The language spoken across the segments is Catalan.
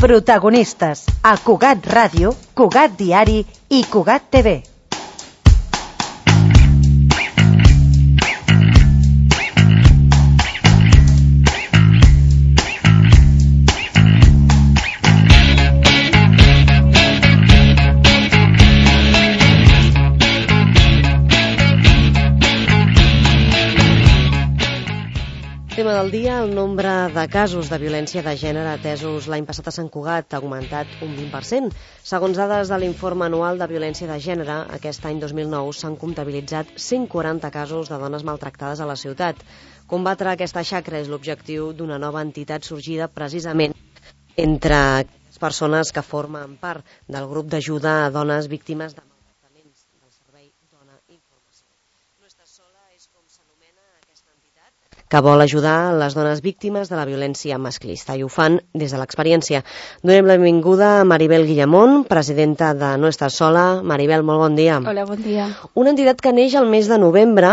Protagonistes a Cugat Ràdio, Cugat Diari i Cugat TV. Tema del dia, el nombre de casos de violència de gènere atesos l'any passat a Sant Cugat ha augmentat un 20%. Segons dades de l'informe anual de violència de gènere, aquest any 2009 s'han comptabilitzat 140 casos de dones maltractades a la ciutat. Combatre aquesta xacra és l'objectiu d'una nova entitat sorgida precisament entre les persones que formen part del grup d'ajuda a dones víctimes de maltractaments del servei Dona Informació. No estàs sola és com s'anomena aquesta entitat que vol ajudar les dones víctimes de la violència masclista i ho fan des de l'experiència. Donem la benvinguda a Maribel Guillamón, presidenta de No estàs sola. Maribel, molt bon dia. Hola, bon dia. Una entitat que neix el mes de novembre,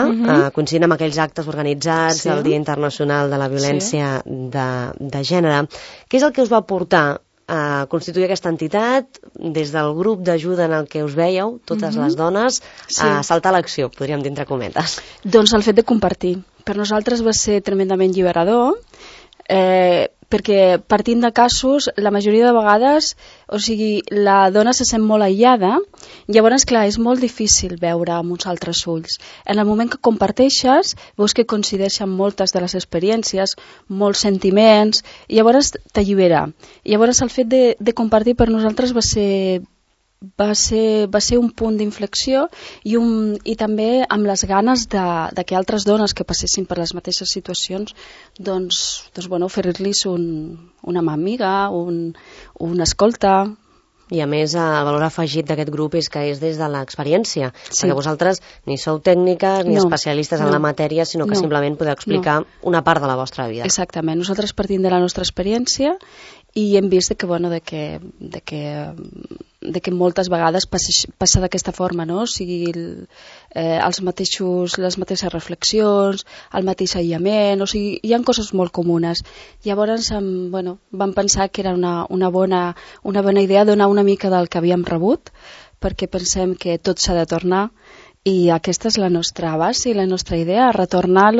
coincidint amb aquells actes organitzats del Dia Internacional de la Violència de Gènere. Què és el que us va portar a constituir aquesta entitat, des del grup d'ajuda en el que us veieu, totes les dones, a saltar a l'acció, podríem dir entre cometes? Doncs el fet de compartir. Per nosaltres va ser tremendament lliberador, perquè partint de casos, la majoria de vegades, o sigui, la dona se sent molt aïllada, llavors, clar, és molt difícil veure amb uns altres ulls. En el moment que comparteixes, veus que coincideixen moltes de les experiències, molts sentiments, i llavors t'allibera. Llavors el fet de compartir per nosaltres va ser un punt d'inflexió i també amb les ganes de que altres dones que passessin per les mateixes situacions doncs oferir-los una mà amiga, una escolta. I a més, el valor afegit d'aquest grup és que és des de l'experiència, perquè vosaltres ni sou tècniques ni especialistes en la matèria, sinó que simplement podeu explicar una part de la vostra vida. Exactament, nosaltres partim de la nostra experiència i hem vist que moltes vegades passa d'aquesta forma, no? O sigui, les mateixes reflexions, el mateix aïllament, o sigui, hi ha coses molt comunes. Llavors, vam pensar que era una bona idea donar una mica del que havíem rebut, perquè pensem que tot s'ha de tornar, i aquesta és la nostra base i la nostra idea, retornar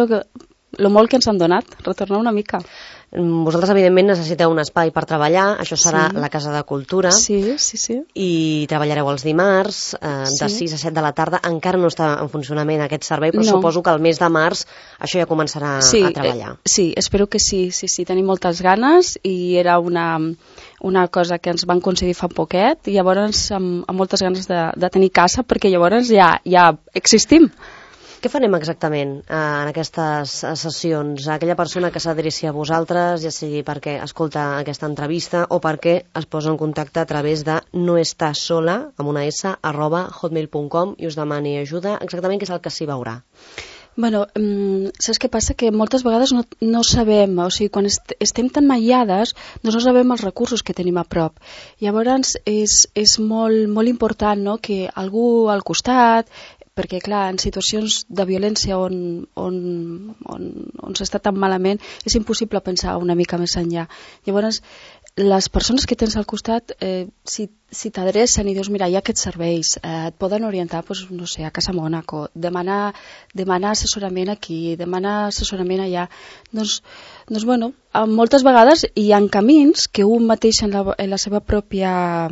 lo molt que ens han donat, retornar una mica. Vosaltres, evidentment, necessiteu un espai per treballar, això serà la Casa de Cultura, i treballareu els dimarts, de 6 a 7 de la tarda. Encara no està en funcionament aquest servei, però suposo que el mes de març això ja començarà a treballar. Sí, espero que sí, tenim moltes ganes, i era una cosa que ens van concedir fa poquet, i llavors amb moltes ganes de tenir casa, perquè llavors ja existim. Què farem exactament en aquestes sessions? Aquella persona que s'adreci a vosaltres, ja sigui perquè escolta aquesta entrevista o perquè es posa en contacte a través de noestàssola, amb una s, @hotmail.com, i us demani ajuda, exactament què és el que s'hi veurà? Saps què passa? Que moltes vegades no sabem, o sigui, quan estem tan aïllades, no sabem els recursos que tenim a prop. Llavors és molt important, no?, que algú al costat, perquè clar, en situacions de violència on s'està tan malament és impossible pensar una mica més enllà. Llavors, les persones que tens al costat, si t'adrecen i dius, mira, hi ha aquests serveis, et poden orientar, no sé, a Casa Mònaco, demanar assessorament aquí, demanar assessorament allà. Doncs moltes vegades hi ha camins que un mateix en la seva pròpia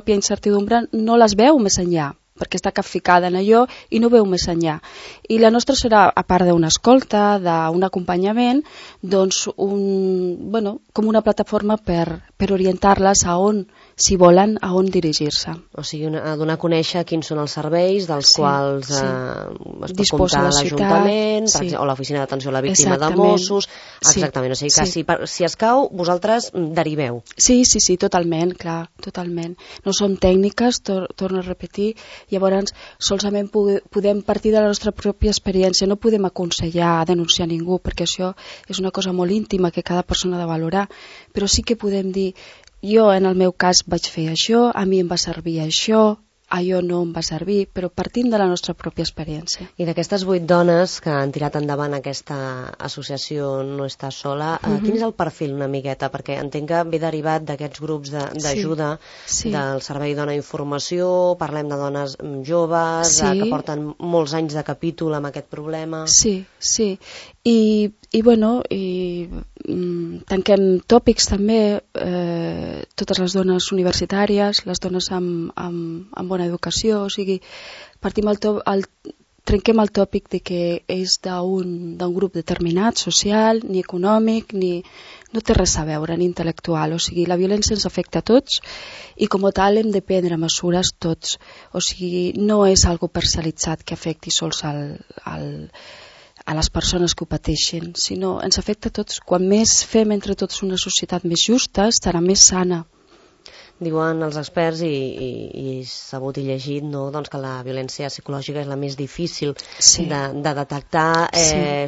incertidumbre no les veu més enllà, perquè està capficada en allò i no veu més enllà. I la nostra serà, a part d'una escolta, d'un acompanyament, doncs com una plataforma per orientar-les a on, si volen, a on dirigir-se. O sigui, donar a conèixer quins són els serveis dels quals es pot comptar l'Ajuntament, o l'Oficina d'Atenció a la Víctima de Mossos. Exactament, o sigui que si escau, vosaltres deriveu. Sí, totalment, clar, totalment. No som tècniques, torno a repetir. Llavors, solament podem partir de la nostra pròpia experiència, no podem aconsellar, denunciar ningú, perquè això és una cosa molt íntima que cada persona ha de valorar, però sí que podem dir, jo en el meu cas vaig fer això, a mi em va servir això, allò no em va servir, però partint de la nostra pròpia experiència. I d'aquestes 8 dones que han tirat endavant aquesta associació No Estàs Sola, quin és el perfil una miqueta? Perquè entenc que ve derivat d'aquests grups d'ajuda del Servei Dona Informació, parlem de dones joves, que porten molts anys de capítol amb aquest problema. Sí. I bueno, tanquem tòpics també, totes les dones universitàries, les dones amb bona educació, o sigui, trenquem el tòpic de que és d'un grup determinat, social, ni econòmic, no té res a veure, ni intel·lectual. O sigui, la violència ens afecta a tots i com a tal hem de prendre mesures tots. O sigui, no és algo parcialitzat que afecti sols a les persones que ho pateixen, sinó ens afecta a tots. Quan més fem entre tots una societat més justa, estarà més sana. Diuen els experts, i sabut i llegit, no? Doncs que la violència psicològica és la més difícil de detectar.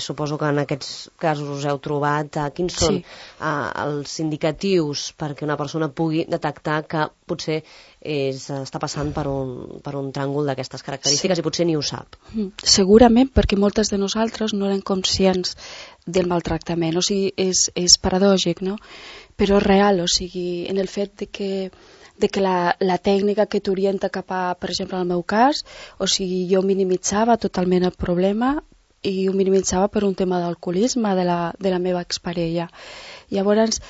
Suposo que en aquests casos us heu trobat. Quins són els indicatius perquè una persona pugui detectar que potser està passant per un tràngol d'aquestes característiques i potser ni ho sap? Segurament perquè moltes de nosaltres no eren conscients del maltractament. O sigui, és paradògic, no? Però és real, o sigui, en el fet de que la tècnica que t'orienta cap a, per exemple, en el meu cas, o sigui, jo minimitzava totalment el problema i ho minimitzava per un tema d'alcoholisme de la meva exparella. Llavors,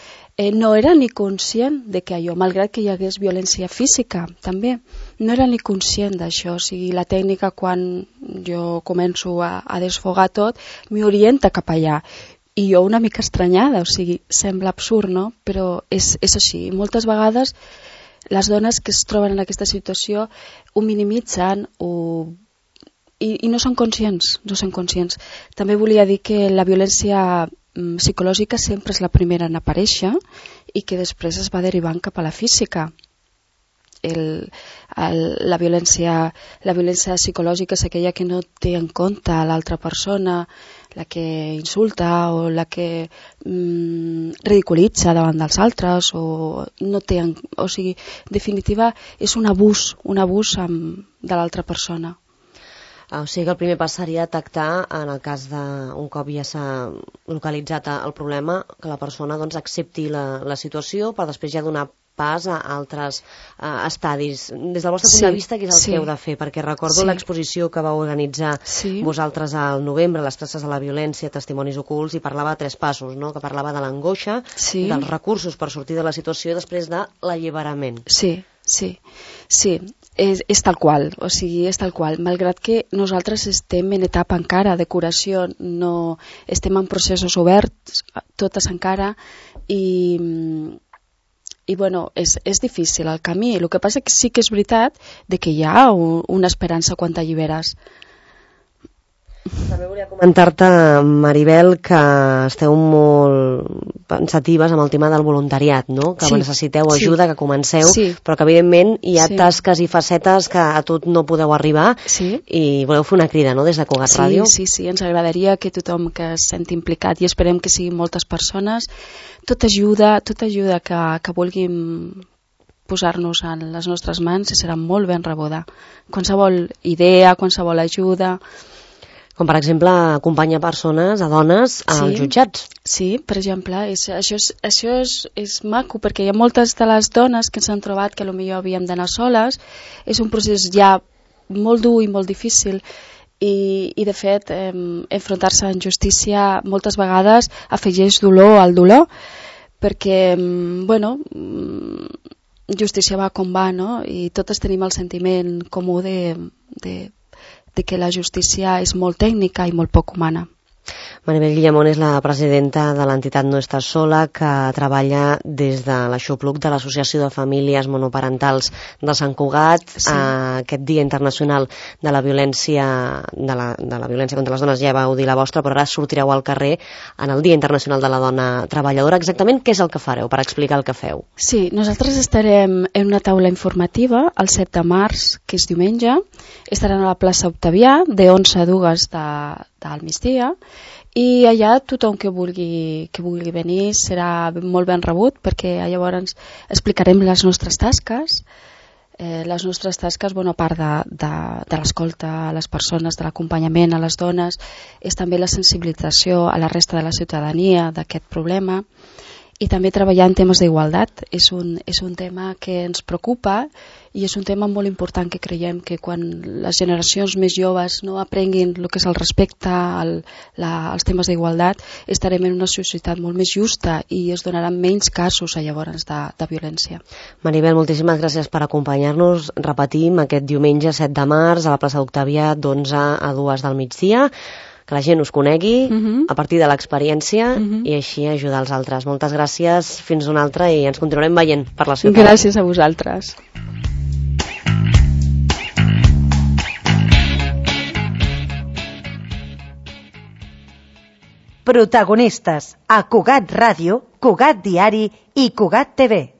no era ni conscient de que allò, malgrat que hi hagués violència física, també, no era ni conscient d'això. O sigui, la tècnica, quan jo començo a desfogar tot, m'orienta cap allà. I jo una mica estranyada, o sigui, sembla absurd, no? Però és així. Moltes vegades les dones que es troben en aquesta situació ho minimitzen i no són conscients, També volia dir que la violència psicològica sempre és la primera en aparèixer i que després es va derivant cap a la física. La violència psicològica és aquella que no té en compte l'altra persona, la que insulta o la que ridiculitza davant dels altres o sigui, en definitiva és un abús de l'altra persona. O sigui que el primer pas seria detectar, en el cas d'un cop ja s'ha localitzat el problema, que la persona accepti la situació per després ja donar pas a altres estadis. Des del vostre punt de vista, què és el que heu de fer? Perquè recordo l'exposició que vau organitzar vosaltres al novembre, les traces de la violència, testimonis ocults, i parlava de 3 passos, no? Que parlava de l'angoixa, dels recursos per sortir de la situació i després de l'alliberament. Sí, és tal qual, o sigui, és tal qual. Malgrat que nosaltres estem en etapa encara de curació, no estem en processos oberts, totes encara, i bueno, és difícil el camí. El que passa que sí que és veritat de que hi ha una esperança quan t'alliberes. També volia comentar-te, Maribel, que esteu molt pensatives amb el tema del voluntariat, no? Que necessiteu ajuda, que comenceu, però que evidentment hi ha tasques i facetes que a tot no podeu arribar i voleu fer una crida, no?, des de Cugat Ràdio. Sí, ens agradaria que tothom que es senti implicat, i esperem que siguin moltes persones, tota ajuda que vulguin posar-nos en les nostres mans serà molt ben rebuda. Qualsevol idea, qualsevol ajuda. Com, per exemple, acompanyar persones, a dones, als jutjats. Sí, per exemple, això és maco, perquè hi ha moltes de les dones que s'han trobat que potser havíem d'anar soles. És un procés ja molt dur i molt difícil, i de fet, enfrontar-se en justícia moltes vegades afegeix dolor al dolor, perquè, bueno, justícia va com va, no? I totes tenim el sentiment comú de que la justícia és molt tècnica i molt poc humana. Maribel Guillamón és la presidenta de l'entitat No Estàs Sola, que treballa des de l'Aixopluc de l'Associació de Famílies Monoparentals de Sant Cugat. Aquest Dia Internacional de la Violència contra les Dones, ja vau dir la vostra, però ara sortireu al carrer en el Dia Internacional de la Dona Treballadora. Exactament què és el que fareu, per explicar el que feu? Sí, nosaltres estarem en una taula informativa el 7 de març, que és diumenge. Estaran a la plaça Octavià de 11 a 2 del migdia, i allà tothom que vulgui venir serà molt ben rebut, perquè llavors explicarem les nostres tasques, Les nostres tasques, a part de l'escolta a les persones, de l'acompanyament a les dones, és també la sensibilització a la resta de la ciutadania d'aquest problema, i també treballar en temes d'igualtat. És un tema que ens preocupa i és un tema molt important, que creiem que quan les generacions més joves no aprenguin el que és el respecte als temes d'igualtat, estarem en una societat molt més justa i es donaran menys casos llavors de violència. Maribel, moltíssimes gràcies per acompanyar-nos. Repetim, aquest diumenge 7 de març a la plaça d'Octavià d'11 a 2 del migdia. Que la gent us conegui a partir de l'experiència i així ajudar els altres. Moltes gràcies, fins una altra, i ens continuarem veient per la ciutat. Gràcies a vosaltres. Protagonistes a Cugat Ràdio, Cugat Diari i Cugat TV.